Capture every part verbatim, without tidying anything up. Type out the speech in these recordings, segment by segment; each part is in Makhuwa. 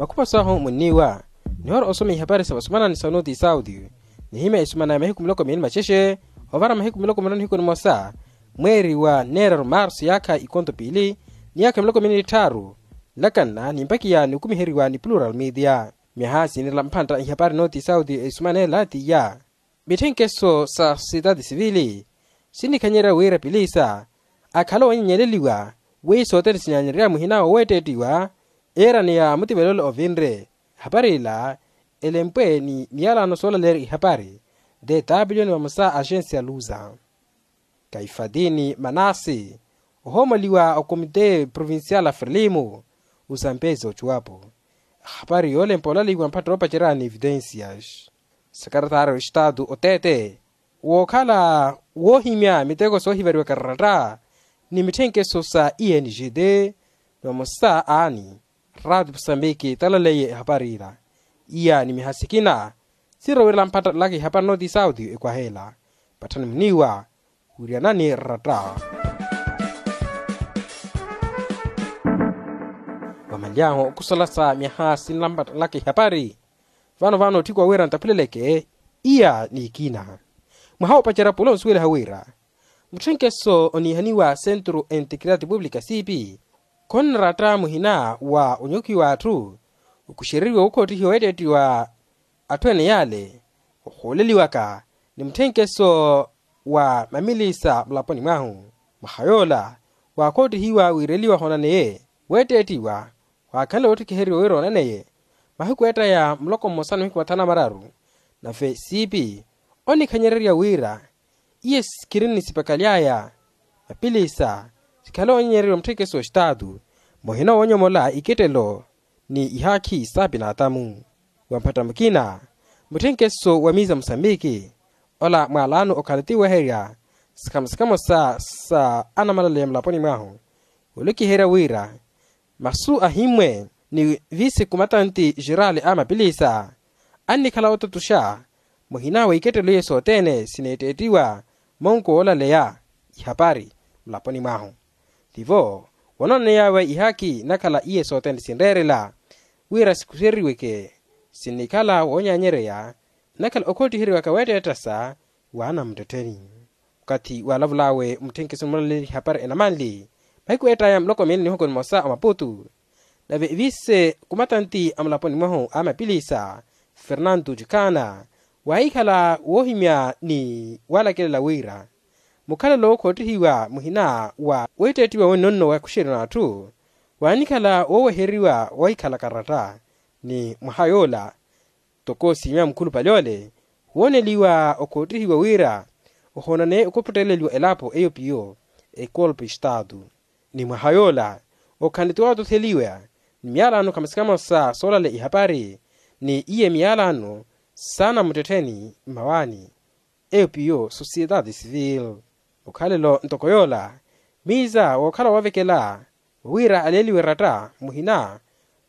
Akhupa sahu munniiwa nihora osoma ihapari sa vasumanani sa noti sauti. Nihimya esumana ya mahiku miloko miili macexe ovara mahiku miloko miraru nihiku nimosa mweeri wa neeraru marsu yaakha ikonto piili ni yaakha miloko miili nitthaaru. Nlakanna nimpakiya nikumiheriwa ni plural media. Myaha sinirela mphantta ihapari noti sauti esumanela tiya mitthenkeso sa sosiyetaati sivili sinnikhanyerya wira pilisa akhala oonyenyeleliwa wi sothene sinyaanyerya muhina wa weetteettiwa. Eerani ya mutivelelo ovinre ehapari ila elempwe ni miyalano soolaleerya ihapari dw ni vamosa axensi ya luza. Kaifatini manasi ohoomoliwa okomite provincial a frelimo osampezi ocuwapo. Ehapari yoolempa olaliwa mpatto oopacerya ni evitensias. Sekeretaari wa estatu oteete wookhala woohimya miteko soohivariwaka ratta ni mitthenkeso sa engd ni vamosa aani raati musambiki talaleye ehapari ila. Iya ni miha sikina sirowirela mpattalaka ihapari noti sauti ekwaha ela patthani muniiwa. Wiriyanani ratta vamanly'ahu okusala sa myaha sinlampattalaka ihapari. Vano vano otthiko wawira ntaphuleleke iya n'ikina mwaha woopacerya pula onsuweliha wira mutthenkeso oniihaniwa centro integridade pública cp khonnaratta muhina wa onyukiwa atthu okuxereriwa wookhottihiwa weetteettiwa atthu ene yale ohooleliwaka ni mutthenkeso wa mamilisa mulaponi mwahu. Mwaha yoola waakhottihiwa wiireliwa hoonaneye weetteettiwa waakhanle wootthikiheriwa wira oonaneye mahiku eettaya muloko mmosa ni mahiku mathanu na mararu. Nave siipi onikhanyererya wira iye sikhirini sipakaly'aya mapilisa sikhale oonyenyererya mutthenkeso wa estatu muhina woonyomola ikettelo ni ihaakhi sa pinaatamu. Wa mphatta mukina mutthenkeso wa miiza musambiki ola mwaalano okhale tiweherya sikhamo sikhamo sa sa anamalaleya mulaponi mwahu olokiherya wira masu ahimmwe ni visi kumatanti jerali a mapilisa annikhala ototuxa muhina wa ikettelo iye sothene sineetteettiwa monko woolaleya ihapari mulaponi mwahu. Tivo wonooney'awe ihaakhi nakhala iye sothene sinreerela wira sikuxeriweke sinnikhala woonyaanyereya nakhala okhotthiheriwaka weetteetta sa waana muttettheni. Okathi waalavul'awe mutthenkeso mulaleli ihapari enamanli mahiku eettaya muloko miili nihuku nimosa omaputu nave vise kumatanti a mulaponi mwahu a mapilisa fernanto cukana waahikhala woohimya ni waalakelela wira mukhalelo wookhottihiwa muhina wa weetteettiwa wennonno wa ekuxeryo n'atthu waanikhala wooweheriwa wahikhala karatta. Ni mwaha yoola toko siimya mukhulupale ole wooneliwa okhottihiwa wira ohoonaneye okuputteleliwa elapo eyo piyo ekolpe estatu. Ni mwaha yoola okhanle ti waatotheliwa ni miyalano khamosa khamosa soolaleya ihapari ni iye miyalano saana muttettheni mmawaani eyo piyo sosiyetaati sivili. Okhalelo ntoko yoola miiza wookhala woovekela wawira aleeliwe ratta muhina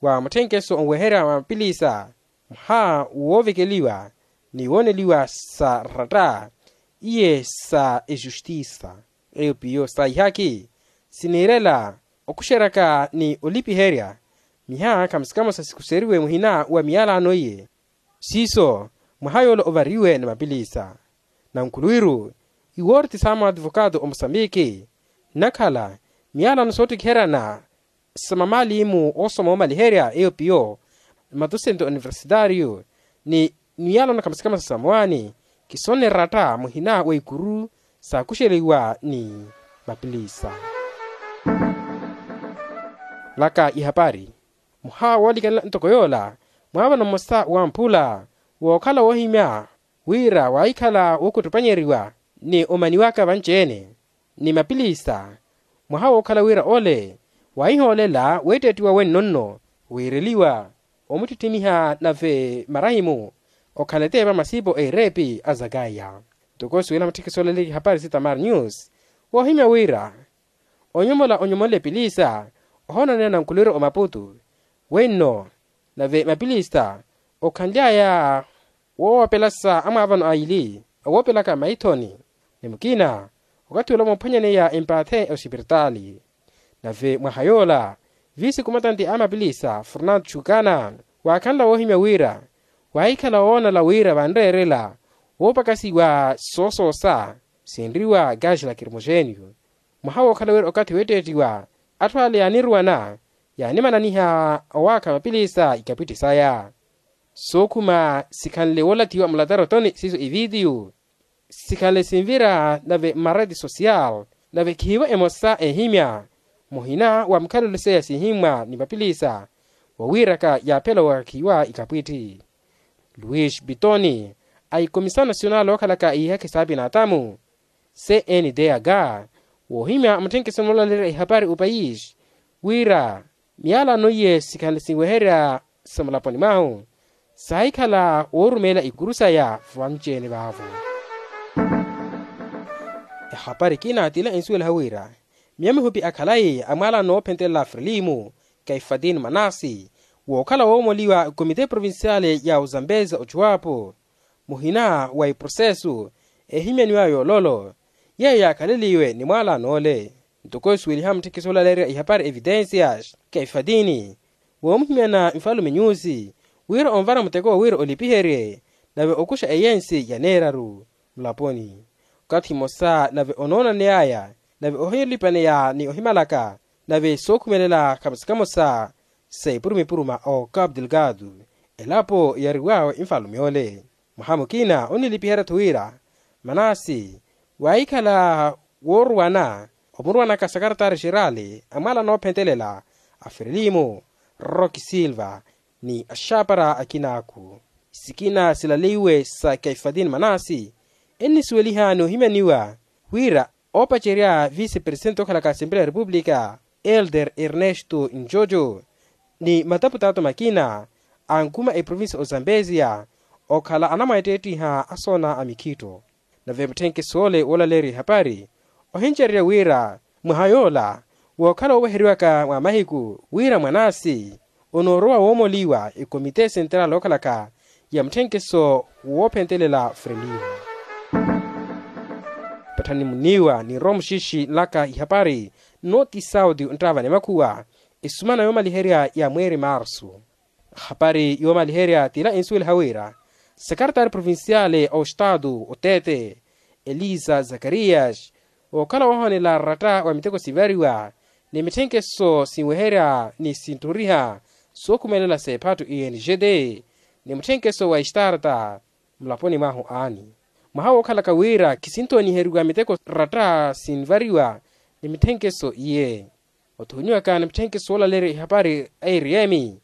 wa mutthenkeso onweherya mapilisa mwaha woovekeliwa ni wooneliwa sa ratta iye sa exustisa eyo piyo sa ihaakhi siniirela okuxeryaka ni olipiherya miha khamosa khamosa sikuxeriwe muhina wa miyalano iye. Siiso mwaha yoola ovariwe ni mapilisa nankhuluwiru iwoori ti saama wa advokato omusambiki nnakhala miyalano soottikiheryana sa mamalimu oosoma oomaliherya eyo piyo matusento universitario ni miyalano khamosa khamosa sa mowaani kisonne ratta muhina wa ikuru saakuxeliwa ni mapilisa. Laka ihapari mwaha woolikanela ntoko yoola mwaavano mmosa wamphula wookhala woohimya wira waahikhala wookuttupanyeriwa ni omaniwaka vanci-ene ni mapilisa mwaha wookhala wira ole waahihoolela weetteettiwa wennonno wiireliwa omuttitthimiha nave marahimu okhala eteepa masipo a ereepi a zakaya. Ntoko suwela mutthiki soolaleerya ihapari si tamar news woohimya wira onyomola onyomolela epilisa ohoonaneya nankhulwiro omaputu wenno nave mapilisa okhanly'aya woowapelasa amwaavano aili awoopelaka maithoni ni mukina okathi ola moophwanyaneya empaathe osipiritaali. Nave mwaha yoola Viisi kumatanti a mapilisa fernando chukana waakhanla woohimya wira waahikhala woonala wira vanreerela woopakasiwa soosoosa sinriwa gage lacrimogénio. Mwaha wookhala wira okathi weetteettiwa atthu ale yaaniruwana yaanimananiha owaakha mapilisa ikapwitti saya. Sookhuma sikhanle woolathiwa mulatara otoni siiso ivitiyu sikhanle sinvira nave mmareti social nave khiivo emosa eehimya muhina wa mukhalelo seya siihimmwa ni mapilisa wawiiraka yaaphela owakhiwa ikapwitti. Luis pitoni a ikomisao nasional ookhalaka iihakhi saapinatamu cndah woohimya mutthenkeso moolaleerya ihapari opayisi wira miyalano iye sikhanle sinweherya sa mulaponi mwahu saahikhala woorumeela ikuru saya vanci-ene vaavo. Ehapari ekina t'ila ensuweliha wira miyo mihupi a khalayi a mwaalano woophentelela frelimo kaifatini manasi wookhala woomoliwa komite provinciale ya ozambeza ochuwapo muhina wa eprosesu eehimyaniwa yoololo yeeyo yaakhaleliwe ni mwaalano ole. Ntoko esuweliha mutthekiso olaleerya ihapari evitensias kaifatini woomuhimyana nfalume nyusi wira onvara muteko wira olipiherye nave okuxa eyensi yaneeraru mulaponi okathi emosa nave onoonaneyaya nave ohilipaneya ni ohimalaka nave sookhumelela kamosa kamosa sa epuruma epuruma o capu delgado elapo yariwawe nfalume ole. Mwaha mukina onilipiherya-tho wira manasi waahikhala wooruwana omuruwanaka sakaratari xerali a mwaalano oophentelela a frelimo roki silva ni axapara akinaaku. Sikina silaleiwe sa kaifatini manasi ennisuweliha noohimyaniwa wira oopacerya vice presidente ookhalaka asempleya ya repupulika elder ernesto njojo ni mataputato makina ankuma eprovincia ozambezia okhala anamweetteettiha asoona a mikhitto. Nave mutthenkeso ole woolaleerya ihapari ohincererya wira mwaha yoola wookhala wooweheriwaka mwa mahiku wira mwanasi onoorowa woomoliwa ekomite senteral ookhalaka ya mutthenkeso woophentelela frelimo. Patthani muniiwa ninrowa muxixi nlaka ihapari nnooti sauti onttaavani makhuwa esumana yoomaliherya ya mweeri marsu. Hapari yoomaliherya t'ila ensuweliha wira sakaratari provinciale a ostaatu oteete elisa zakarias wookhala woohoonela ratta wa miteko sivariwa ni mitthenkeso sinweherya ni sintthuriha sookhumelela s'ephattu i n g t ni mutthenkeso wa estarta mulaponi mwahu aani mwaha wookhalaka wira khisinthooniheriwa miteko ratta sinvariwa ni mitthenkeso iye. Othoonyiwaka ni mutthenkeso woolaleerya ihapari a r m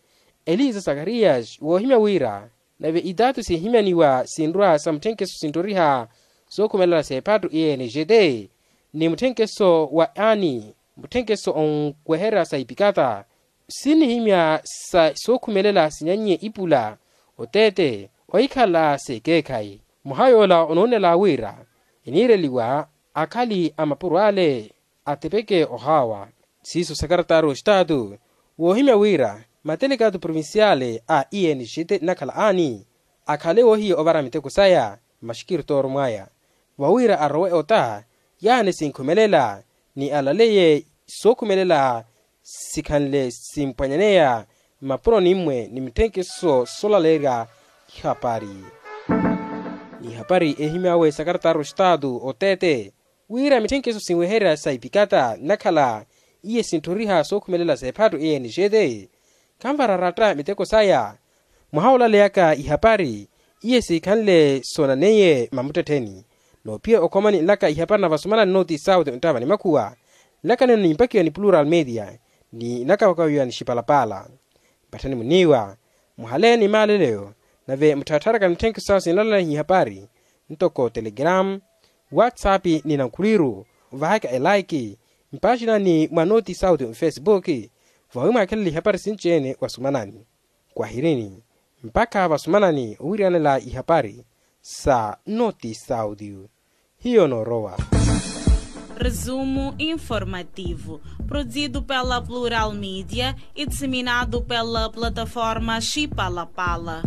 elisa zakarias woohimya wira nave itaatu sihimyaniwa sinrwa sa mutthenkeso sintthoriha sookhumelela s'ephattu i n g t ni mutthenkeso wa ani mutthenkeso onweherya sa ipikata sinnihimya sa sookhumelela sinyannye ipula oteete ohikhala s'ekeekhayi. Mwaha yoola onuunela wira eniireliwa akhali a mapuro ale atepeke ohaawa. Siiso sakaratari ostaatu woohimya wira matelekatu provinciale a i n g t nnakhala ani akhale woohiya ovara miteko saya mmaxikiritooro mwaya vawira arowe ota yaani sinkhumelela ni alaleye sookhumelela sikhanle simpwanyaneya mmapuroni mmwe ni mitthenkeso soolaleerya ihapari. Ni ihapari eehimyaawe sakaratari ostaatu oteete wira mitthenkeso sinweherya sa ipikata nnakhala iye sintthoriha sookhumelela s'ephattu i n g t khanvara ratta miteko saya mwaha woolaleyaka ihapari iye siikhanle soonaneiye mamuttettheni. Noophiya okhomani nlaka ihapari na vasumanani nooti sauti onttaavani makhuwa nlaka nino nimpakiwa ni plural media ni nakapakiwa ni xipalapala. Patthani muniiwa muhaleeni maaleleyo nave mutthattharaka mitthenkeso sawe sinalalehi ihapari ntoko telegram whatsapp ni nankhuliru vahaka elaiki mpaxinani mwa nooti sauti mfesipuki vawi mwaakhelela ihapari sinci-ene wasumanani kwahirini mpakha vasumanani owiriyanela ihapari sa nooti sauti. Hiyo noorowa. Resumo informativo, produzido pela plural media e disseminado pela plataforma xipalapala.